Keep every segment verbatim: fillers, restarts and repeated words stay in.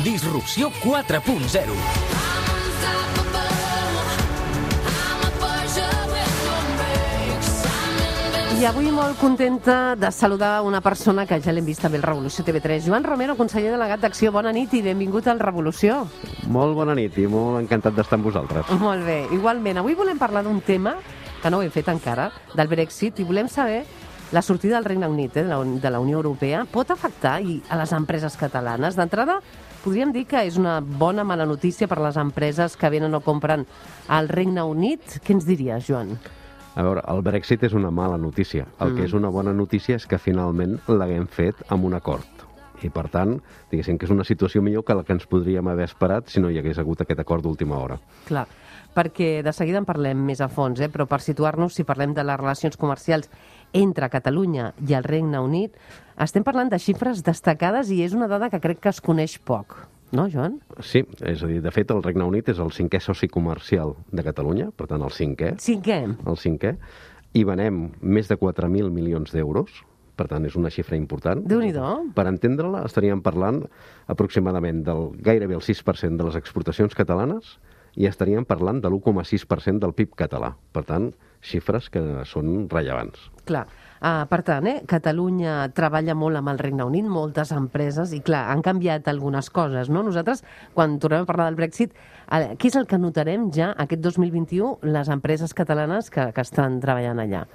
Disrupció quatre punt zero. I avui molt contenta de saludar una persona que ja l'hem vist també al Revolució T V tres. Joan Romero, conseller delegat d'Acció, bona nit i benvingut al Revolució. Molt bona nit i molt encantat d'estar amb vosaltres. Molt bé, igualment. Avui volem parlar d'un tema que no ho hem fet encara, del Brexit, i volem saber la sortida del Regne Unit, eh, de la Unió Europea, pot afectar i a les empreses catalanes. D'entrada, podríem dir que és una bona mala notícia per a les empreses que venen o compren al Regne Unit. Què ens diries, Joan? A veure, el Brexit és una mala notícia. El mm. que és una bona notícia és que finalment l'haguem fet amb un acord. I, per tant, diguéssim que és una situació millor que la que ens podríem haver esperat si no hi hagués hagut aquest acord d'última hora. Clar, perquè de seguida en parlem més a fons, eh? Però per situar-nos, si parlem de les relacions comercials entre Catalunya i el Regne Unit, estem parlant de xifres destacades i és una dada que crec que es coneix poc. No, Joan? Sí, és a dir, de fet, el Regne Unit és el cinquè soci comercial de Catalunya, per tant, el cinquè. Cinquè? El cinquè. I venem més de quatre mil milions d'euros, per tant, és una xifra important. Déu-n'hi-do. Per entendre-la, estaríem parlant aproximadament del gairebé el sis per cent de les exportacions catalanes i estaríem parlant de l'u coma sis per cent del P I B català. Per tant, xifres que són rellevants. Clar. Uh, per tant, eh, Catalunya treballa molt amb el Regne Unit, moltes empreses, i clar, han canviat algunes coses, no? Nosaltres, quan tornem a parlar del Brexit, uh, què és el que notarem ja aquest dos mil vint-i-u les empreses catalanes que, que estan treballant allà?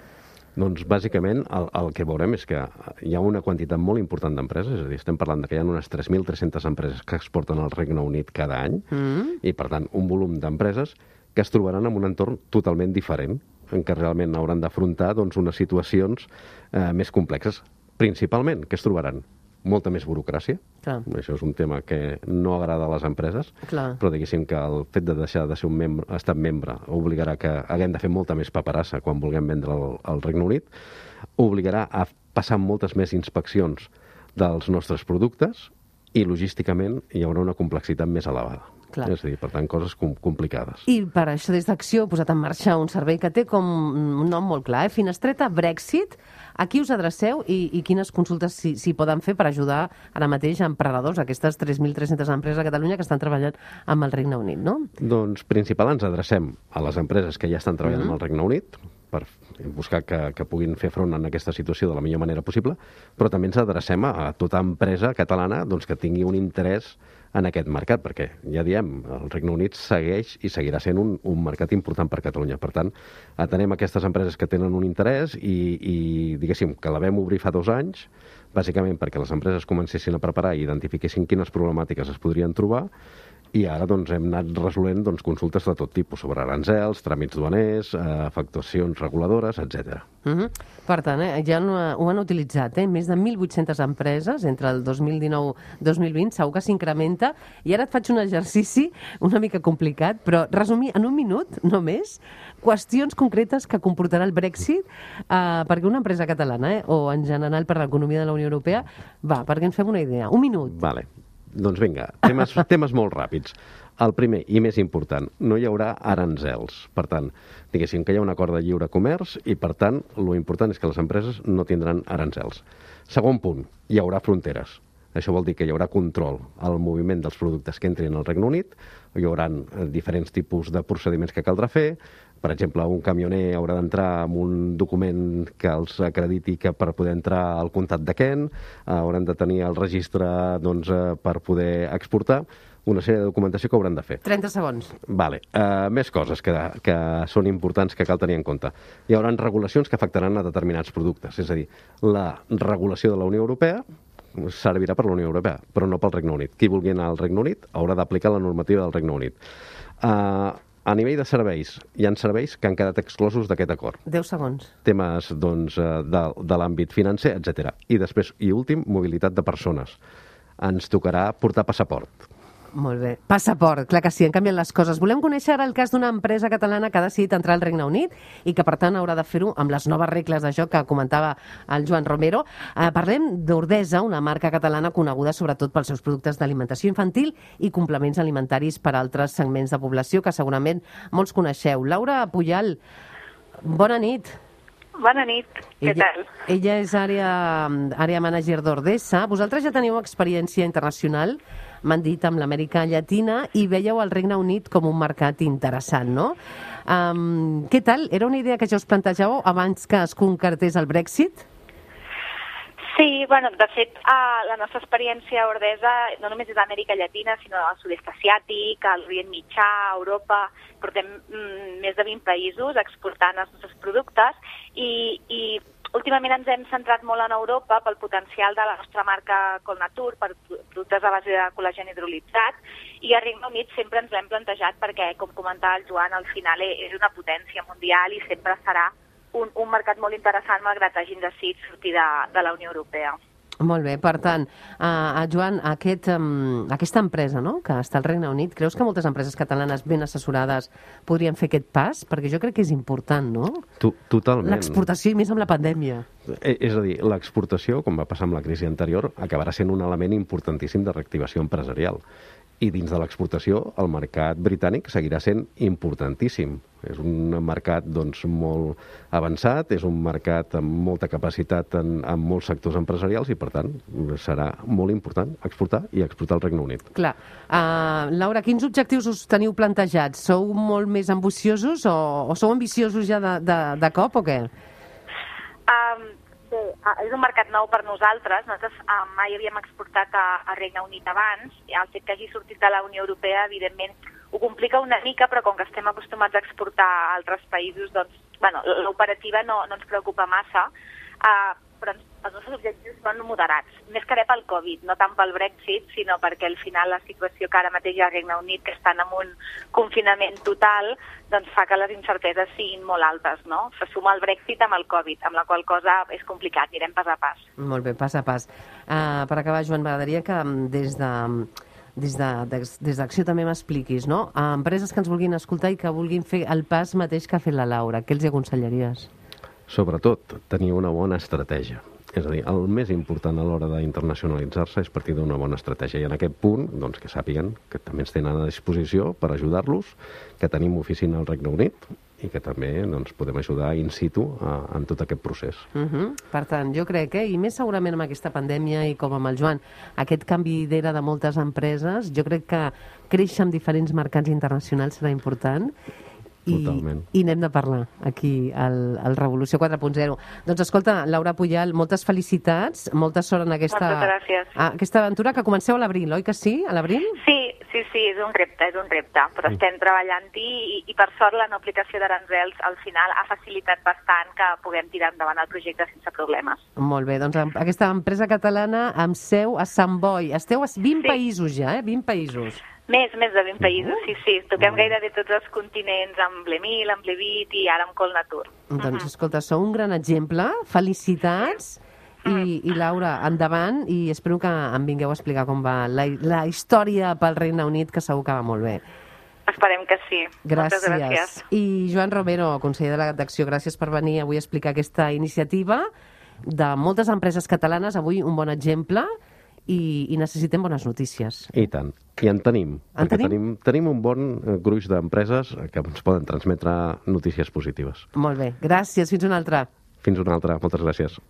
Doncs, bàsicament, el, el que veurem és que hi ha una quantitat molt important d'empreses, és a dir, estem parlant de que hi ha unes tres mil tres-centes empreses que exporten al Regne Unit cada any, mm. i, per tant, un volum d'empreses que es trobaran en un entorn totalment diferent, en què realment hauran d'afrontar doncs, unes situacions eh, més complexes. Principalment, què es trobaran? Molta més burocràcia. Clar. Això és un tema que no agrada a les empreses, Clar. però diguéssim que el fet de deixar de ser un membre, estat membre obligarà que haguem de fer molta més paperassa quan vulguem vendre al, al Regne Unit, obligarà a passar moltes més inspeccions dels nostres productes i logísticament hi haurà una complexitat més elevada. Clar. És a dir, per tant, coses com complicades. I per això des d'Acció ha posat en marxa un servei que té com un nom molt clar, eh? Finestreta Brexit. A qui us adreceu i, i quines consultes s'hi si poden fer per ajudar ara mateix a emprenedors, aquestes tres mil tres-centes empreses a Catalunya que estan treballant amb el Regne Unit, no? Doncs, principal, ens adrecem a les empreses que ja estan treballant mm-hmm. amb el Regne Unit, per buscar que, que puguin fer front a aquesta situació de la millor manera possible, però també ens adrecem a, a tota empresa catalana doncs, que tingui un interès en aquest mercat, perquè, ja diem, el Regne Unit segueix i seguirà sent un, un mercat important per Catalunya. Per tant, atenem aquestes empreses que tenen un interès i, i diguéssim, que la vam obrir fa dos anys, bàsicament perquè les empreses comencessin a preparar i identifiquessin quines problemàtiques es podrien trobar, i ara doncs, hem anat resolent doncs, consultes de tot tipus sobre aranzels, tràmits duaners, eh, afectacions reguladores, etcètera. Uh-huh. Per tant, eh, ja no, ho han utilitzat, eh? Més de mil vuit-centes empreses entre el dos mil dinou i dos mil vint, segur que s'incrementa, i ara et faig un exercici una mica complicat, però resumir en un minut, només, qüestions concretes que comportarà el Brexit eh, perquè una empresa catalana, eh, o en general per l'economia de la Unió Europea, va, perquè ens fem una idea. Un minut. Vale. Doncs vinga, temes, temes molt ràpids. El primer i més important, no hi haurà aranzels. Per tant, diguéssim que hi ha un acord de lliure comerç i, per tant, lo important és que les empreses no tindran aranzels. Segon punt, hi haurà fronteres. Això vol dir que hi haurà control al moviment dels productes que entrin al Regne Unit, hi haurà diferents tipus de procediments que caldrà fer. Per exemple, un camioner haurà d'entrar amb un document que els acrediti que per poder entrar al comtat de Kent, hauran de tenir el registre doncs, per poder exportar, una sèrie de documentació que hauran de fer. trenta segons. Vale. Uh, més coses que, que són importants que cal tenir en compte. Hi haurà regulacions que afectaran a determinats productes, és a dir, la regulació de la Unió Europea servirà per la Unió Europea, però no pel Regne Unit. Qui vulgui anar al Regne Unit haurà d'aplicar la normativa del Regne Unit. Uh, A nivell de serveis, hi ha serveis que han quedat exclosos d'aquest acord. deu segons. Temes doncs, de, de l'àmbit financer, etcètera. I després, i últim, mobilitat de persones. Ens tocarà portar passaport. Molt bé. Passaport, clar que sí, han canviat les coses. Volem conèixer ara el cas d'una empresa catalana que ha decidit entrar al Regne Unit i que, per tant, haurà de fer-ho amb les noves regles de joc que comentava el Joan Romero. Eh, parlem d'Ordesa, una marca catalana coneguda sobretot pels seus productes d'alimentació infantil i complements alimentaris per a altres segments de població que segurament molts coneixeu. Laura Pujal, bona nit. Bona nit, què ella, tal? Ella és àrea, àrea manager d'Ordesa. Vosaltres ja teniu experiència internacional m'han dit, amb l'Amèrica Llatina, i veieu el Regne Unit com un mercat interessant, no? Um, què tal? Era una idea que ja us plantejàveu abans que es concretés el Brexit? Sí, bueno, de fet, uh, la nostra experiència a Ordesa no només és d'Amèrica Llatina, sinó al sud-est asiàtic, a l'Orient Mitjà, a Europa. Portem mm, més de vint països exportant els nostres productes i, i últimament ens hem centrat molt en Europa pel potencial de la nostra marca Colnatur, per productes a base de col·lagen hidrolitzat, i a Regne Unit sempre ens l'hem plantejat perquè, com comentava el Joan, al final és una potència mundial i sempre serà un, un mercat molt interessant malgrat hagin decidit sortir de, de la Unió Europea. Molt bé, per tant, uh, Joan, aquest, um, aquesta empresa, no?, que està al Regne Unit, creus que moltes empreses catalanes ben assessorades podrien fer aquest pas? Perquè jo crec que és important, no? Tu, totalment. L'exportació, i més amb la pandèmia. Eh, és a dir, l'exportació, com va passar amb la crisi anterior, acabarà sent un element importantíssim de reactivació empresarial. I dins de l'exportació, el mercat britànic seguirà sent importantíssim. És un mercat doncs, molt avançat, és un mercat amb molta capacitat en, en molts sectors empresarials i, per tant, serà molt important exportar i exportar al Regne Unit. Clar. Uh, Laura, quins objectius us teniu plantejats? Sou molt més ambiciosos o, o sou ambiciosos ja de, de, de cop o què? Um, Bé, és un mercat nou per nosaltres. Nosaltres eh, mai havíem exportat a, a Regne Unit abans. El fet que hagi sortit de la Unió Europea, evidentment, ho complica una mica, però com que estem acostumats a exportar a altres països, doncs, bueno, l'operativa no, no ens preocupa massa. Eh, però els nostres objectius són moderats, més que res pel Covid, no tant pel Brexit, sinó perquè al final la situació que ara mateix hi ha al Regne Unit, que estan en un confinament total, doncs fa que les incerteses siguin molt altes, no? Se suma el Brexit amb el Covid, amb la qual cosa és complicat, anirem pas a pas. Molt bé, pas a pas. Uh, per acabar, Joan, m'agradaria que des de... des de, des, des d'Acció també m'expliquis, no? A empreses que ens vulguin escoltar i que vulguin fer el pas mateix que ha fet la Laura, què els aconsellaries? Sobretot, tenir una bona estratègia. És a dir, el més important a l'hora d'internacionalitzar-se és partir d'una bona estratègia. I en aquest punt, doncs, que sàpiguen que també ens tenen a disposició per ajudar-los, que tenim oficina al Regne Unit i que també doncs, podem ajudar in situ a, en tot aquest procés. Uh -huh. Per tant, jo crec que, i més segurament amb aquesta pandèmia i com amb el Joan, aquest canvi d'era de moltes empreses, jo crec que créixer en diferents mercats internacionals serà important. I, i n'hem de parlar aquí al, al Revolució quatre punt zero. Doncs escolta, Laura Pujal, moltes felicitats, molta sort en aquesta, aquesta aventura, que comenceu a l'abril, oi que sí? A l'abril? Sí, sí, sí, és un repte, és un repte, però estem treballant-hi i, i per sort la no aplicació d'aranzels al final ha facilitat bastant que puguem tirar endavant el projecte sense problemes. Molt bé, doncs aquesta empresa catalana amb seu a Sant Boi. Esteu a vint sí. països ja, eh? vint països. Més, més de vint països, sí, sí. Toquem gairebé tots els continents, amb Blemil, amb Levit i ara amb Colnatur. Doncs, escolta, sou un gran exemple. Felicitats. I, i Laura, endavant, i espero que em vingueu a explicar com va la, la història pel Regne Unit, que segur que va molt bé. Esperem que sí. Gràcies. Moltes gràcies. I Joan Romero, conseller delegat d'Acció, gràcies per venir avui a explicar aquesta iniciativa de moltes empreses catalanes. Avui un bon exemple. I, i necessitem bones notícies. I tant. I en tenim. En tenim? tenim? Tenim un bon gruix d'empreses que ens poden transmetre notícies positives. Molt bé. Gràcies. Fins una altra. Fins una altra. Moltes gràcies.